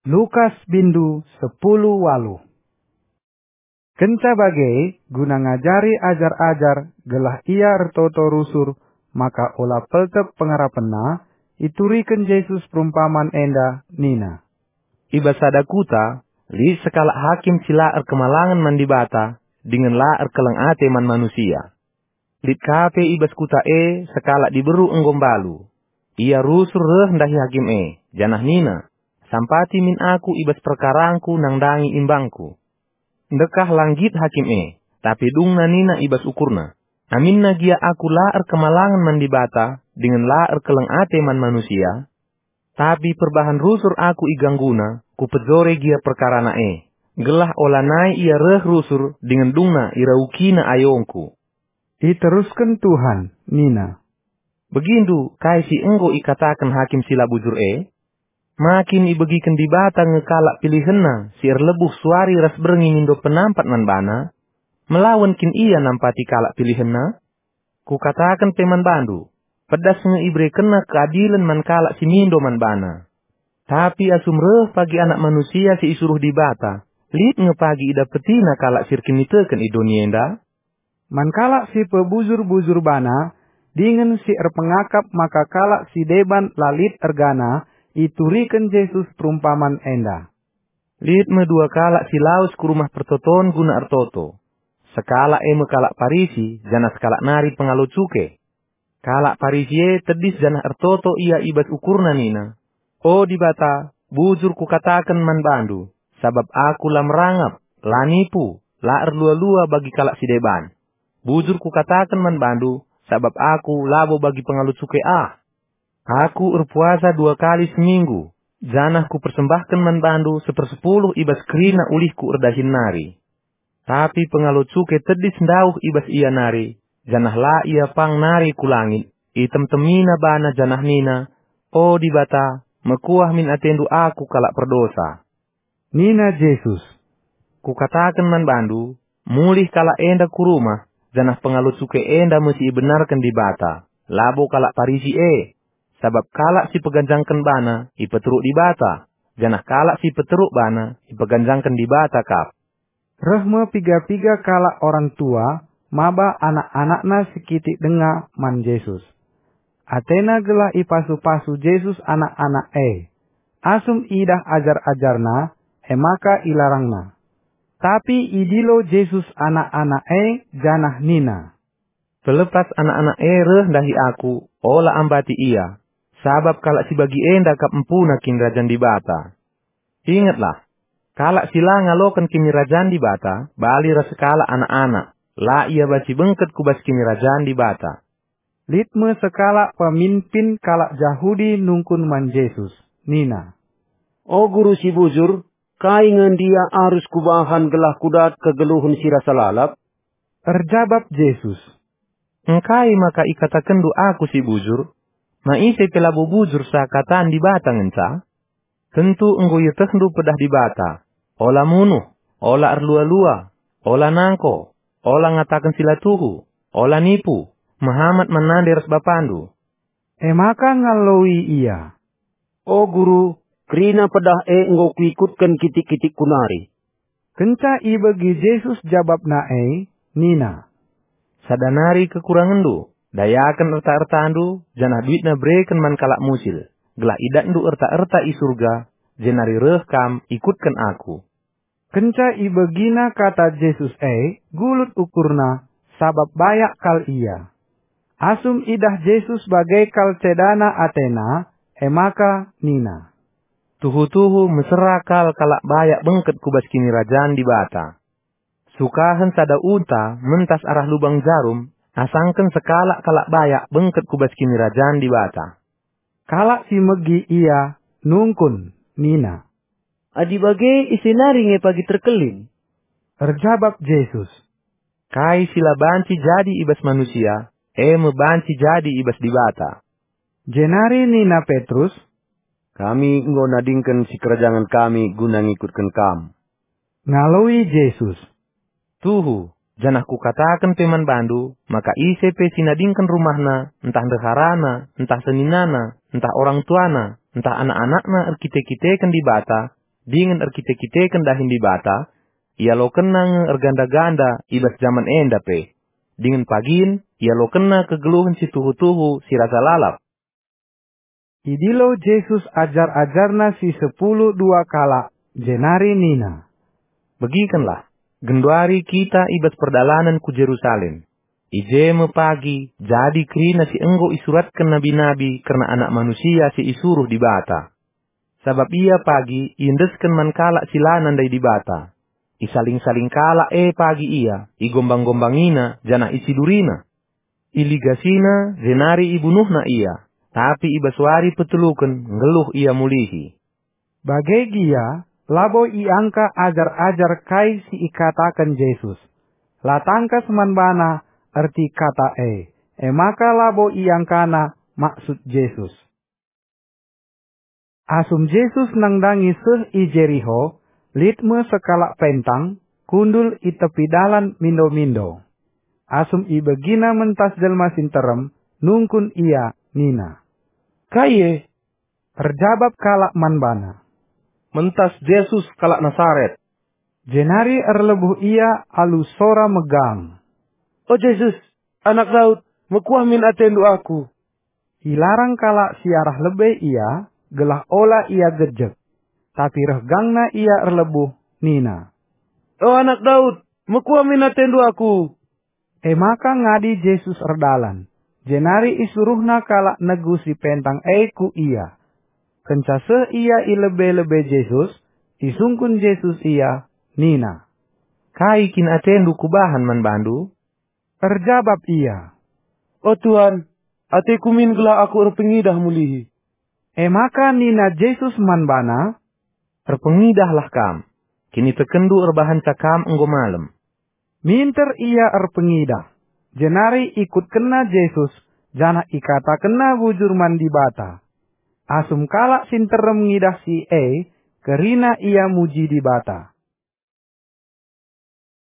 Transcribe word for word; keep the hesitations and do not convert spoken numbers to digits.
Lukas bindu sepuluh waluh. Kenca bage, guna ngajari ajar-ajar gelah ia ertoto rusur maka ola peltep pengarapenna, ituriken Jesus perumpaman enda nina, "I bas sada kuta, lit sekalak hakim si la erkemalangen man Dibata dingen la erkeleng ate man manusia. Lit ka pe i bas kuta e sekalak diberu enggo mbalu. Ia rusur reh ndahi hakim e, janah nina, 'Sampati min aku i bas perkarangku nandangi imbangku.' Ndekah la nggit hakim e, tapi dungna nina i bas ukurna, 'Aminna gia aku la erkemalangen man Dibata dingen la erkeleng ate man manusia, tapi perbahan rusur aku igangguna, kupejore gia perkarana e, gelah olanai ia reh rusur dingen dungna iraukina ayongku.'" Iterusken Tuhan nina, "Begindu kai si enggo ikataken hakim si la bujur e? Ma kin ibegiken Dibata nge kalak pilihenNa si erlebuh suari ras berngi mindo penampat man baNa? Melawen kin Ia nampati kalak pilihenNa? Kukataken pe man bandu, pedas nge iberekenNa keadilen man kalak si mindo man baNa. Tapi asum reh pagi Anak Manusia si isuruh Dibata, lit nge pagi idapetina kalak si erkiniteken i doni enda?" Man kalak si pebujur-bujur bana, dingen si erpengakap maka kalak si deban la lit ergana, ituriken Jesus perumpaman enda, "Lit me dua kalak si lawes ku rumah pertoton guna ertoto. Sekalak e me kalak Parisi, janah sekalak nari pengalo cuke. Kalak Parisi e tedis janah ertoto ia i bas ukurna nina, 'O Dibata, bujur kukataken man bandu, sabap aku la merangap, la nipu, la erlua-lua bagi kalak si deban. Bujur kukataken man bandu, sabap aku labo bagi pengalo cuke ah. Aku erpuasa dua kali seminggu, janah kupersembahken man bandu sepersepuluh i bas kerina ulihku erdahin nari.' Tapi pengalo cuke tedis ndauh i bas ia nari, janah la ia pang nari ku langit. Itemtemina bana janah nina, 'O Dibata, mekuah min atendu aku kalak perdosa.'" Nina Jesus, "Kukataken man bandu, mulih kalak enda ku rumah, janah pengalo cuke enda me si ibenarken Dibata, labo kalak Parisi e. Sabap kalak si peganjangken bana ipeteruk Dibata, janah kalak si peteruk bana ipeganjangken Dibata kap." Reh me piga-piga kalak orang tua maba anak-anakna sikitik denga man Jesus. Atena gelah ipasu-pasu Jesus anak-anak e. Asum idah ajar-ajarNa, e maka ilarangna. Tapi idilo Jesus anak-anak e janah nina, "Pelepas anak-anak e reh ndahi Aku, ola ambati ia, sabap kalak si bagi enda kap empuna Kinirajan Dibata. Ingetlah, kalak si la ngaloken Kinirajan Dibata bali ras sekalak anak-anak, la ia banci bengket ku bas Kinirajan Dibata." Lit me sekalak peminpin kalak Jahudi nungkun man Jesus, nina, "O Guru si bujur, kai nge ndia arus kubahan gelah kudat kegeluhen si rasa lalap?" Erjabap Jesus, "Engkai maka ikatakenndu Aku si bujur? Ma ise pe labo bujur seakatan Dibata ngenca? Tentu enggo ietehndu pedah Dibata, 'Ola munuh, ola erlua-lua, ola nangko, ola ngataken si la tuhu, ola nipu, mehamat man nande ras bapandu.'" E maka ngaloi ia, "O Guru, kerina pedah e enggo kuikutken kitik-kitikku nari." Kenca ibegi Jesus jabapna e, nina, "Sada nari kekurangenndu, dayaken erta-ertandu, janah duitna bereken man kalak musil, gelah idatndu erta-erta i Surga, jenari reh kam ikutken Aku." Kenca ibegina kata Jesus e, gulut ukurna, sabap bayak kal ia. Asum idah Jesus bage kal cedana atena, e maka nina, "Tuhu-tuhu mesera kal kalak bayak bengket ku bas Kinirajan Dibata. Sukahen sada unta mentas arah lubang jarum, asangken sekalak kalak bayak bengket ku bas Kinirajan Dibata." Kalak si megi ia nungkun nina, "Adi bage, ise nari nge pagi terkelin?" Erjabap Jesus, "Kai si la banci jadi i bas manusia, e me banci jadi i bas Dibata." Jenari nina Petrus, "Kami enggo nadingken sikerajangen kami guna ngikutken Kam." Ngaloi Jesus, "Tuhu, janah Kukataken pe man bandu, maka ise pe si nadingken rumahna, ntah ndeharana, ntah seninana, ntah orang tuana, ntah anak-anakna erkite-kiteken Dibata, dingen erkite-kiteken dahin Dibata, ialokenna nge erganda-ganda i bas jaman enda pe. Dingen pagin ialokenna kegeluhen si tuhu-tuhu si rasa lalap. Idilo Jesus ajar-ajarNa si sepuluh dua kalak, jenari nina, "Begikenlah, genduari kita i bas perdalanen ku Jerusalem. I je me pagi jadi kerina si enggo isuratken nabi-nabi kerna Anak Manusia si isuruh Dibata. Sabap ia pagi iendesken man kalak si la nandai Dibata. Isaling-saling kalak e pagi ia, igombang-gombangina, janah icidurina. Iligasina, jenari ibunuhna ia, tapi i bas wari peteluken nggeluh ia mulihi." Bage gia, labo iangka ajar-ajar kai si ikataken Jesus. La tangkas man bana erti kata e, e maka labo iangkana maksud Jesus. Asum Jesus nandangi seh i Jeriho, lit me sekalak pentang, kundul i tepi dalan mindo-mindo. Asum ibegina mentas jelma si nterem, nungkun ia nina, "Kai e?" Erjabap kalak man bana, "Mentas Jesus kalak Nasaret." Jenari erlebuh ia alu sora megang, "O Jesus, Anak Daud, mekuah min atendu aku." Ilarang kalak si arah lebe ia, gelah ola ia gejek. Tapi reh gangna ia erlebuh, nina, "O Anak Daud, mekuah min atendu aku." E maka ngadi Jesus erdalan, jenari isuruhNa kalak negu si pentang e ku Ia. Kenca seh ia i lebe-lebe Jesus, isungkun Jesus ia, nina, "Kai kin atendu kubahan man bandu?" Erjabap ia, "O Tuhan, ateku min gelah aku erpengidah mulihi." E maka nina Jesus man bana, "Erpengidahlah kam, kinitekenndu erbahanca kam enggo malem." Minter ia erpengidah, jenari ikutkenna Jesus, janah ikatakenna bujur man Dibata. Asum kalak si nterem ngidah si e, kerina ia muji Dibata.